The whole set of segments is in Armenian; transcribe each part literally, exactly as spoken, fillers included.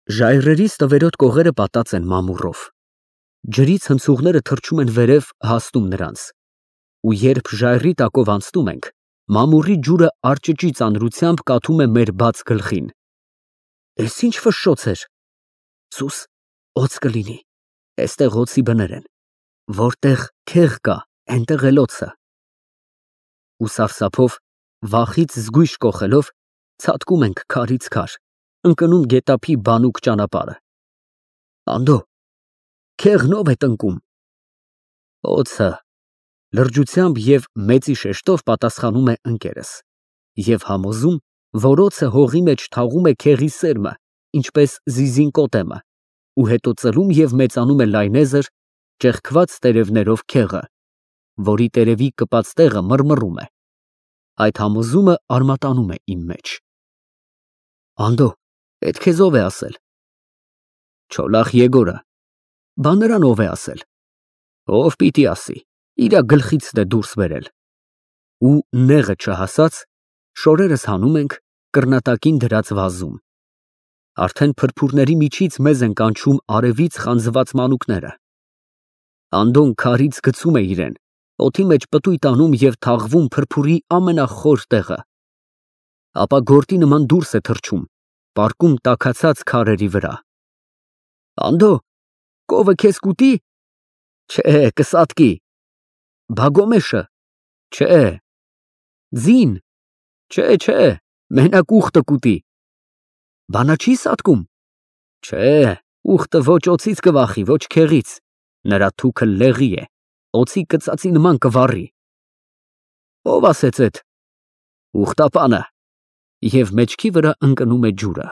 Ժայռերի ստվերոտ կողերը պատած են մամուռով։ Ջրից հնցուղները թռչում են վերև, հասնում նրանց, ու երբ ժայռի տակով անցնում ենք, մամուռի ջուրը արճճի ծանրությամբ կաթում է մեր բաց գլխին։ Էս ինչ ֆշշոց էր։ Սուս, օձ կլինի, էստեղ օձի բներ են, որտեղ քեղ կա, էնտեղ էլ օձը։ Ու սարսափով, վախից զգույշ կոխելով, ցատկում ենք քարից քար, ընկնում գետափի բանուկ ճանապարհը։ Անդո, քեղն ով է տնկում։ Օձը, լրջությամբ և մեծի շեշտով պատասխանում է ընկերս, և համոզում, որ օձը հողի մեջ թաղում է քեղի սերմը, ինչպես զիզին կոտեմը, ու հետո ծլում և մեծանում է լայնեզր, ճեղքված տերևներով քեղը, որի տերևի կպած տեղը մռմռում է։ Այդ համոզումը արմատանում է իմ մեջ։ Անդո, էդ քեզ ով է ասել։ Չոլախ Եգորը։ Բա նրան ով է ասել։ Ով պիտի ասի, իրա գլխիցն է դուրս բերել։ Ու նեղը չհասած, շորերս հանում ենք կռնատակին դրած վազում։ Արդեն փրփուրների միջից մեզ են կանչում արևից խանձված մանուկները։ Անդոն քարից գցում է իրեն, օդի մեջ պտույտ անում և թաղվում փրփուրի ամենախոր տեղը։ Ապա գորտի նման դուրս է թռչում, պառկում տաքացած քարերի վրա։ Անդո, կովը քեզ կուտի։ Չէ, կսատկի։ Բա գոմեշը։ Չէ։ Ձին։ Չէ, չէ, մենակ ուղտը կուտի։ Բա նա չի սատկում։ Չէ, ուղտը ոչ օձից կվախի, ոչ քեղից, նրա թուքը լեղի է, օձի կծածի նման կվառի։ Ով ասեց էդ։ Ուղտապանը։ Եվ մեջքի վրա ընկնում է ջուրը։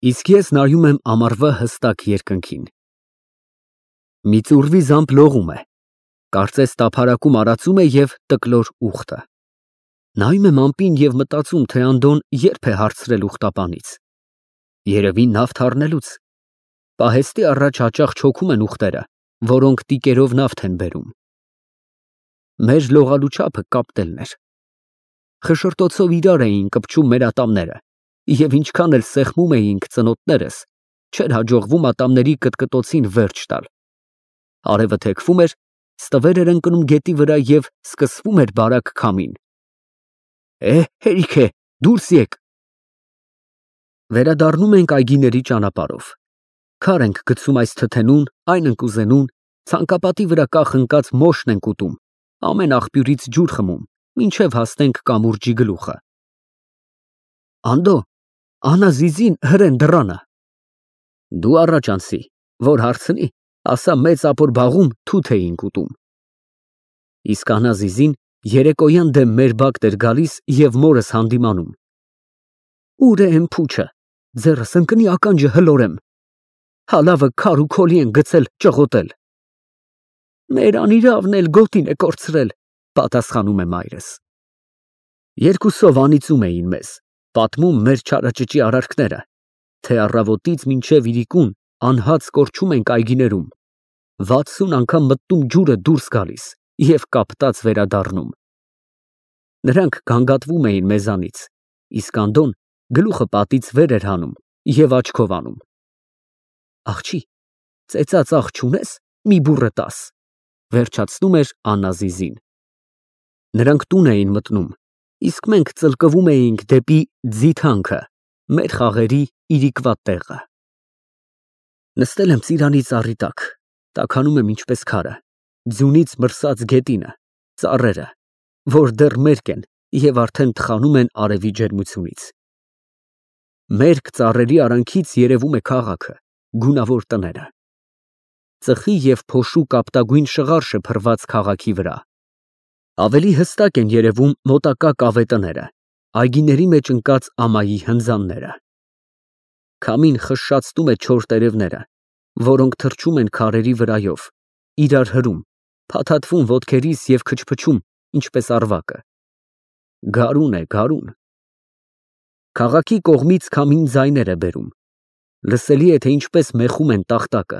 Իսկ ես նայում եմ ամառվա հստակ երկնքին։ Մի ծուռվի զամբ լողում է, կարծես տափարակում արածում է և տկլոր ուղտը։ Նայում եմ ամպին և մտածում, թե Անդոն երբ է հարցրել ուղտապանից։ Երևի նավթ առնելուց։ Պահեստի առաջ հաճախ չոքում են ուղտերը, որոնք տիկերով նավթ են բերում։ Մեր լողալու չափը կապտելն էր։ Խշշրտոցով իրար էին կպչում մեր ատամները, և ինչքան էլ սեղմում էինք ծնոտներս, չէր հաջողվում ատամների կտկտոցին վերջ տալ։ Արևը թեքվում էր, ստվեր էր ընկնում գետի վրա և սկսվում էր բարակ քամին։ Է, հերիք է, դուրս եկ։ Վերադառնում ենք այգիների ճանապարհով։ Քար ենք գցում այս թթենուն, այն ընկուզենուն, ցանկապատի վրա կախ ընկած մոշն ենք ուտում, ամեն աղբյուրից ջուր խմում, մինչև հասնենք կամուրջի գլուխը։ Անդո, Անա Զիզին հրեն դռանը։ Դու առաջ անցի, որ հարցնի, ասա մեծ ապոր բաղում թութ էինք ուտում։ Իսկ Անա Զիզին երեկոյան դեմ մեր բակտ էր գալիս և մորս հանդիմանում։ Ուր է էն փուչը, ձեռս ընկնի ականջը հլորեմ։ Հալավը քար ու քոլի են գցել ճղոտել։ Մեր անիրավն էլ գոտին է կորցրել, պատասխանում է մայրս։ Երկուսով անիծում էին մեզ, պատմում մեր չարաճճի արարքները, թե առավոտից մինչև իրիկուն անհաց կորչում ենք այգիներում, վաթսուն անգամ մտնում ջուրը դուրս գալիս և կապտած վերադառնում։ Նրանք գանգատվում էին մեզանից, իսկ Անդոն գլուխը պատից վեր էր հանում և աչքով անում։ Աղջի, ծեծած աղ չունես, մի բուռը տաս, վերջացնում էր Անա Զիզին։ Նրանք տուն էին մտնում, իսկ մենք ծլկվում էինք դեպի ձիթանքը, մեր խաղերի իրիկվա տեղը։ Նստել եմ ծիրանի ծառի տակ, տաքանում եմ ինչպես քարը, ձյունից մրսած գետինը, ծառերը, որ դեռ մերկ են և արդեն թխանում են արևի ջերմությունից։ Մերկ ծառերի արանքից երևում է քաղաքը, գունավոր տները։ Ծխի և փոշու կապտագույն շղարշը փռված քաղաքի վրա։ Ավելի հստակ են երևում մոտակա կավե տները, այգիների մեջ ընկած ամայի հնձանները։ Քամին խշշացնում է չոր տերևները, որոնք թռչում են քարերի վրայով, իրար հրում, փաթաթվում ոտքերիս և քչփչում, ինչպես առվակը։ Գարուն է, գարուն։ Քաղաքի կողմից քամին ձայներ է բերում։ Լսելի է, թե ինչպես մեխում են տախտակը։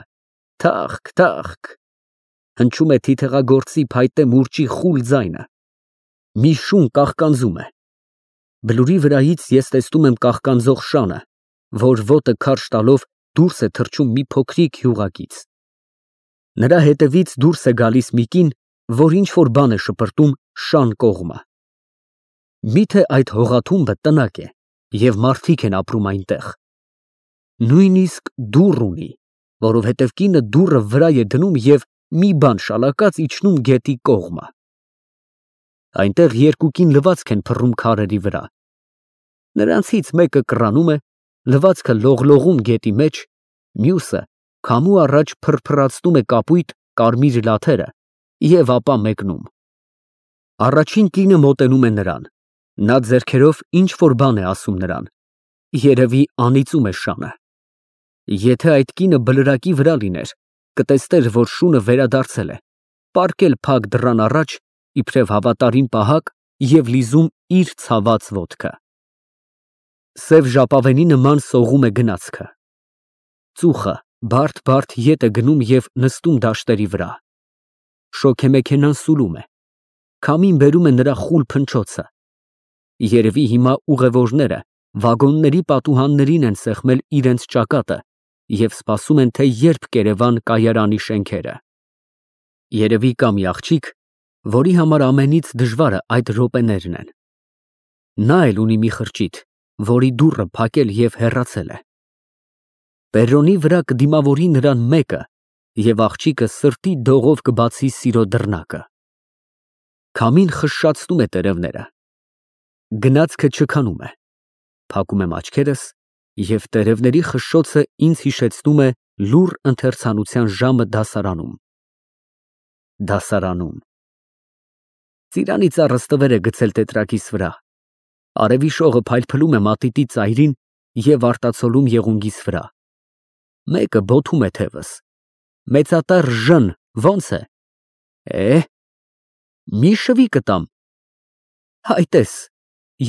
Թախք, թախք։ Հնչում է թիթեղագործի փայտե մուրճի խուլ ձայնը։ Մի շուն կաղկանձում է։ Բլուրի վրայից ես տեսնում եմ կաղկանձող շանը, որ ոտը քարշ տալով դուրս է թռչում մի փոքրիկ յուղակից։ Նրա հետևից դուրս է գալիս մի կին, որ ինչ-որ բան է շպրտում շան կողմը։ Միթե այդ հողաթումբը տնակ է, և մարդիկ են ապրում այնտեղ։ Նույնիսկ դուռ ունի, որովհետև կինը դուռը վրա է դնում և մի բան շալակած իջնում գետի կողմը։ Այնտեղ երկու կին լվացք են փռում քարերի վրա։ Նրանցից մեկը կռանում է, լվացքը լողլողում գետի մեջ, մյուսը քամու առաջ փրփրացնում է կապույտ կարմիր լաթերը և ապա մեկնում։ Առաջին կինը մոտենում է նրան, նա ձեռքերով ինչ-որ բան է ասում նրան, երևի անիծում է շանը։ Եթե այդ կինը բլրակի վրա լիներ, կտեսներ, որ շունը վերադարձել է, պառկել փակ դռան առաջ, իբրև հավատարիմ պահակ և լիզում իր ցաված ոտքը։ Սև ժապավենի նման սողում է գնացքը։ Ծուխը բարդ֊բարդ ետ է գնում և նստում դաշտերի վրա։ Շոգեմեքենան սուլում է։ Քամին բերում է նրա խուլ փնչոցը։ Երևի հիմա ուղևորները վագոնների պատուհաններին են սեղմել իրենց ճակատը և սպասում են, թե երբ կերևան կայարանի շենքերը։ Երևի կա մի աղջիկ, որի համար ամենից դժվարը այդ րոպեներն են։ Նա էլ ունի մի խրճիթ, որի դուռը փակել և հեռացել է։ Պերրոնի վրա կդիմավորի նրան մեկը, և աղջիկը սրտի դողով կբացի սիրո դռնակը։ Քամին խշշացնում է տերևները։ Գնացքը չքանում է։ Փակում եմ աչքերս, և տերևների խշշոցը ինձ հիշեցնում է լուռ ընթերցանության ժամը դասարանում։ Դասարանում։ Ծիրանի ծառը ստվեր է գցել տետրակիս վրա։ Արևի շողը փայլփլում է մատիտի ծայրին և արտացոլում եղունգիս վրա։ Մեկը բոթում է թևս։ Մեծատառ Ժ֊ն ո՞նց է։ Է, մի շվի կտամ։ Հայ տես,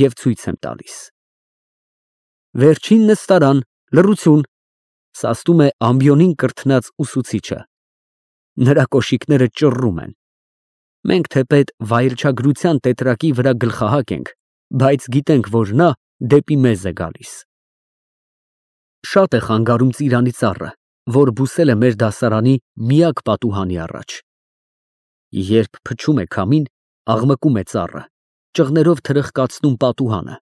և ցույց եմ տալիս։ Վերջին նստարան, լռություն, սաստում է ամբիոնին կրթնած ուսուցիչը։ Նրա կոշիկները ճռռում են։ Մենք թեպետ վայելչագրության տետրակի վրա գլխահակ ենք, բայց գիտենք, որ նա դեպի մեզ է գալիս։ Շատ է խանգարում ծիրանի ծառը, որ բուսել է մեր դասարանի միակ պատուհանի առաջ։ Երբ փչում է քամին, աղմկում է ծառը, ճղներով թրխկացնում պատուհանը։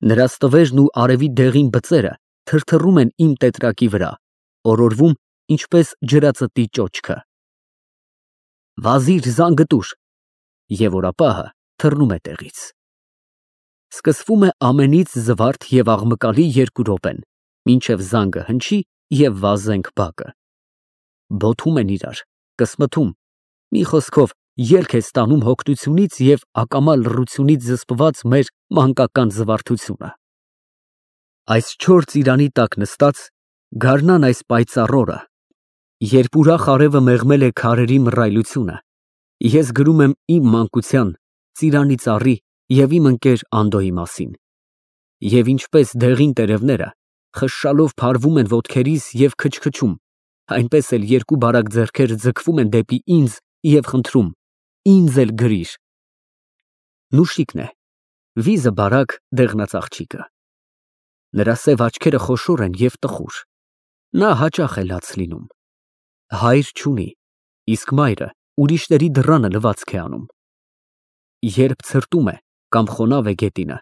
Նրա ստվերն ու արևի դեղին բծերը թրթռում են իմ տետրակի վրա, օրորվում, ինչպես ջրածտի ճոճքը։ Վազիր զանգը տուր, և օրապահը թռնում է տեղից։ Սկսվում է ամենից զվարթ և աղմկալի երկու րոպեն, մինչև զանգը հնչի և վազենք բակը։ Բոթում են իրար, կսմթում, մի խոսքով, ելք է ստանում հոգնությունից և ակամա լռությունից զսպված մեր մանկական զվարթությունը։ Այս չոր ծիրանի տակ նստած, գարնան այս պայծառ օրը, երբ ուրախ արևը մեղմել է քարերի մռայլությունը, ես գրում եմ իմ մանկության, ծիրանի ծառի և իմ ընկեր Անդոյի մասին։ Եվ ինչպես դեղին տերևները, խշշալով փարվում են ոտքերիս և քչքչում, այնպես էլ երկու բարակ ձեռքեր ձգվում են դեպի ինձ և խնդրում. ինձ էլ գրիր։ Նուշիկն է, վիզը բարակ, դեղնած աղջիկը։ Նրա սև աչքերը խոշոր են և տխուր։ Նա հաճախ է լաց լինում։ Հայր չունի, իսկ մայրը ուրիշների դռանը լվացք է անում։ Երբ ցրտում է կամ խոնավ է գետինը,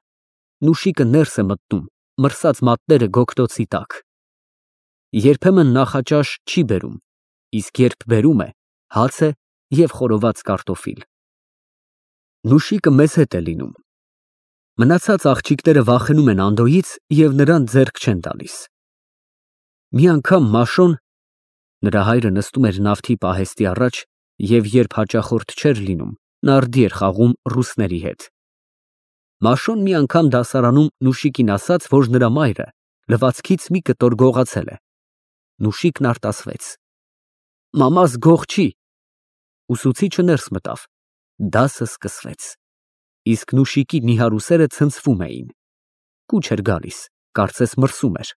նուշիկը ներս է մտնում, մրսած մատները գոգտոցի տակ։ Երբեմն նախաճաշ չի բերում, իսկ երբ բերում է, հաց է և խորոված կարտոֆիլ։ Նուշիկը մեզ հետ է լինում։ Մնացած աղջիկները վախենում են Անդոյից և նրան ձեռք չեն տալիս։ Մի անգամ Մաշոն (նրա հայրը նստում էր նավթի պահեստի առաջ և երբ հաճախորդ չէր լինում, նարդի էր խաղում ռուսների հետ) Մաշոն մի անգամ դասարանում Նուշիկին ասաց, որ նրա մայրը լվացքից մի կտոր գողացել է։ Նուշիկն արտասվեց. մամաս գող չի։ Ուսուցիչը ներս մտավ։ Դասը սկսվեց։ Իսկ Նուշիկի նիհար ուսերը ցնցվում էին։ Կուչ էր գալիս, կարծես մրսում էր։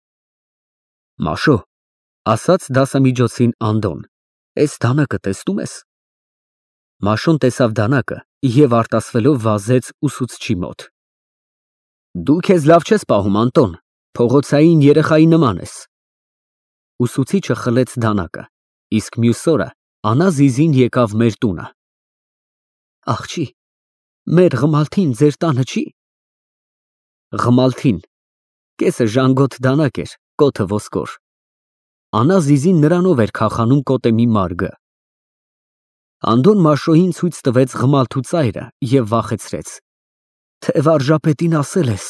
Մաշո, ասաց դասամիջոցին Անդոն, էս դանակը տեսնու՞մ ես։ Մաշոն տեսավ դանակը և արտասվելով վազեց ուսուցչի մոտ։ Դու քեզ լավ չես պահում, Անտոն, Փողոցային երեխայի նման ես։ Ուսուցիչը խլեց դանակը, իսկ մյուս օրը Անազիզին եկավ մեր տունը։ Աղջի, մեր Ղմալթին ձեր տանը չի։ Ղմալթին, կեսը ժանգոտ դանակ էր, կոթը ոսկոր։ Անազիզին նրանով էր քախանում կոտեմի մարգը։ Անդոն Մաշոյին ցույց տվեց Ղմալթու ծայրը և վախեցրեց, թե վարժապետին ասել ես։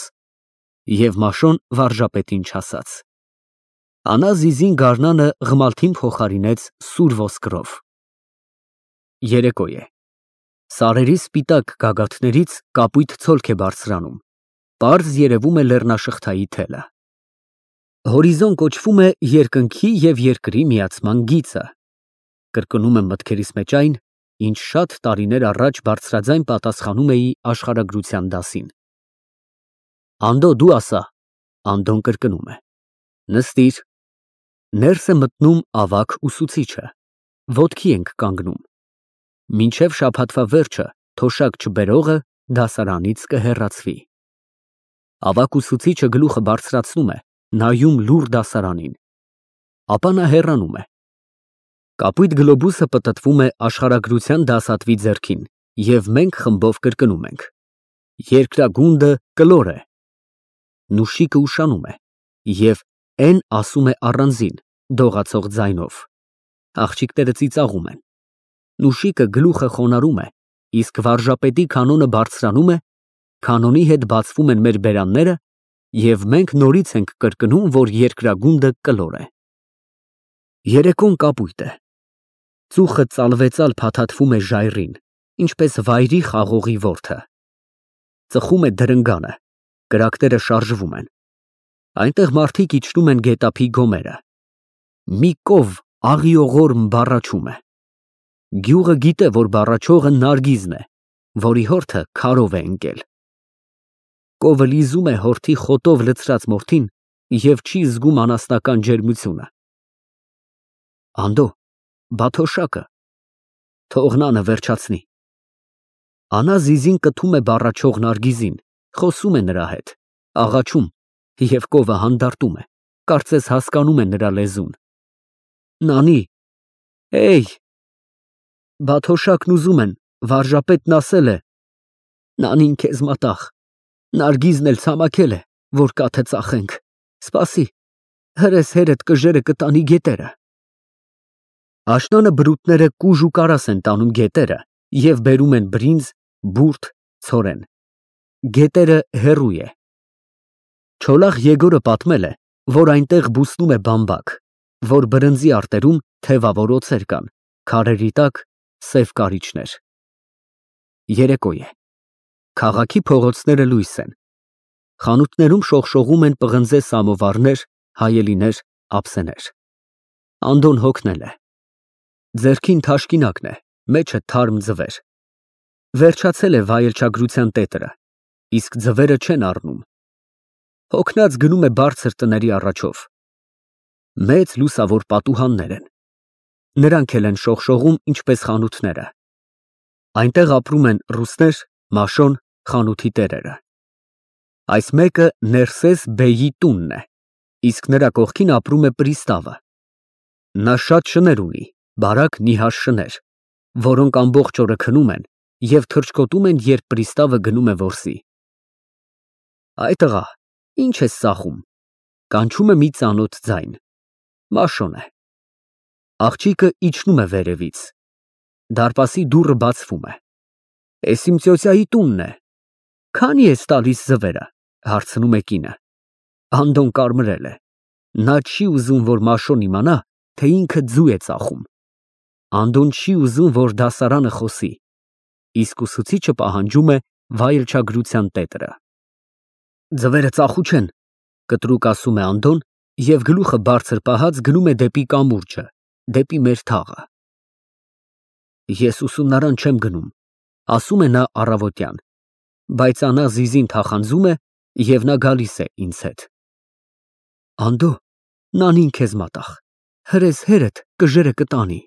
Եվ Մաշոն վարժապետին չասաց։ Անազիզին գարնանը Ղմալթին փոխարինեց սուր ոսկրով։ Երեկո է։ Սարերի սպիտակ գագաթներից կապույտ ցոլք է բարձրանում, պարզ երևում է լեռնաշղթայի թելը։ Հորիզոն կոչվում է երկնքի և երկրի միացման գիծը։ Կրկնում եմ մտքերիս մեջ այն, ինչ շատ տարիներ առաջ բարձրաձայն պատասխանում էի աշխարհագրության դասին։ Անդո դու ասա, Անդոն կրկնում է։ Նստիր։ Ներս է մտնում ավագ ուսուցիչը։ Ոտքի ենք կանգնում։ Մինչև շաբաթվա վերջը թոշակ չբերողը դասարանից կհեռացվի։ Ավագ ուսուցիչը գլուխը բարձրացնում է, նայում լուռ դասարանին։ Ապա նա հեռանում է։ Կապույտ գլոբուսը պտտվում է աշխարհագրության դասատվի ձեռքին, և մենք խմբով կրկնում ենք. Երկրագունդը կլոր է։ Նուշիկը ուշանում է, և Էն ասում է առանձին, դողացող ձայնով։ Աղջիկները ծիծաղում են։ Նուշիկը գլուխը խոնարհում է, իսկ վարժապետի կանոնը բարձրանում է, կանոնի հետ բացվում են մեր բերանները, և մենք նորից ենք կրկնում, որ երկրագունդը կլոր է։ Երեկոն կապույտ է։ Ծուխը ծալվեցալ փաթաթվում է ժայռին, ինչպես վայրի խաղողի որդը։ Ծխում է դրնգանը, կրակները շարժվում են։ Այնտեղ մարդիկ իջնում են գետափի գոմերը։ Մի կով աղիողորմ բառաչում է։ Գյուղը գիտե, որ բառաչողը Նարգիզն է, որի հորթը քարով է ընկել։ Կովը լիզում է հորթի խոտով լցրած մորթին և չի զգում անասնական ջերմությունը։ Անդո, բա թոշակը։ Թող նանը վերջացնի։ Անազիզին կթում է բառաչող Նարգիզին, խոսում է նրա հետ, աղաչում, և կովը հանդարտում է, կարծես հասկանում է նրա լեզուն։ Նանի, էյ։ Բա թոշակն ուզում են, վարժապետն ասել է։ Նանին քեզ մատաղ, Նարգիզն էլ ցամաքել է, որ կաթը ծախենք, սպասի, հրես հերդ կժերը կտանի գետերը։ Աշնանը բրուտները կուժ ու կարաս են տանում գետերը և բերում են բրինձ, բուրդ, ցորեն։ Գետերը հեռու է։ Չոլախ Եգորը պատմել է, որ այնտեղ բուսնում է բամբակ, որ բրնձի արտերում թևավոր օձեր կան, քարերի տակ սև կարիճներ։ Երեկո է։ Քաղաքի փողոցները լույս են։ Խանութներում շողշողում են պղնձե սամովարներ, հայելիներ, ափսեներ։ Անդոն հոգնել է։ Ձեռքին թաշկինակն է, մեջը թարմ ձվեր։ Վերջացել է վայելչագրության տետրը, իսկ ձվերը չեն առնում։ Հոգնած գնում է բարձր տների առաջով։ Մեծ լուսավոր պատուհաններ են։ Նրանք էլ են շողշողում, ինչպես խանութները։ Այնտեղ ապրում են ռուսներ, Մաշոն, խանութի տերերը։ Այս մեկը Ներսես բեյի տունն է, իսկ նրա կողքին ապրում է պրիստավը։ Նա շատ շներ ունի, բարակ նիհար շներ, որոնք ամբողջ օրը քնում են և թռչկոտում են, երբ պրիստավը գնում է որսի։ Այ տղա, ինչ ես ծախում։ Կանչում է մի ծանոթ ձայն։ Մաշոն է։ Աղջիկը իջնում է վերևից։ Դարպասի դուռը բացվում է։ Էս իմ ծյոծյայի տունն է։ Քանի ես տալիս ձվերը, հարցնում է կինը։ Անդոն կարմրել է։ Նա չի ուզում, որ Մաշոն իմանա, թե ինքը ձու է ծախում։ Անդոն չի ուզում, որ դասարանը խոսի, իսկ ուսուցիչը պահանջում է վայելչագրության տետրը։ Ձվերը ծախու չեն, կտրուկ ասում է Անդոն և գլուխը բարձր պահած գնում է դեպի կամուրջը, դեպի մեր թաղը։ Ես ուսումնարան չեմ գնում, ասում է նա առավոտյան, բայց Անազիզին թախանձում է և նա գալիս է ինձ հետ։ Անդո, նանին քեզ մատաղ, հրես հերդ կժերը կտանի։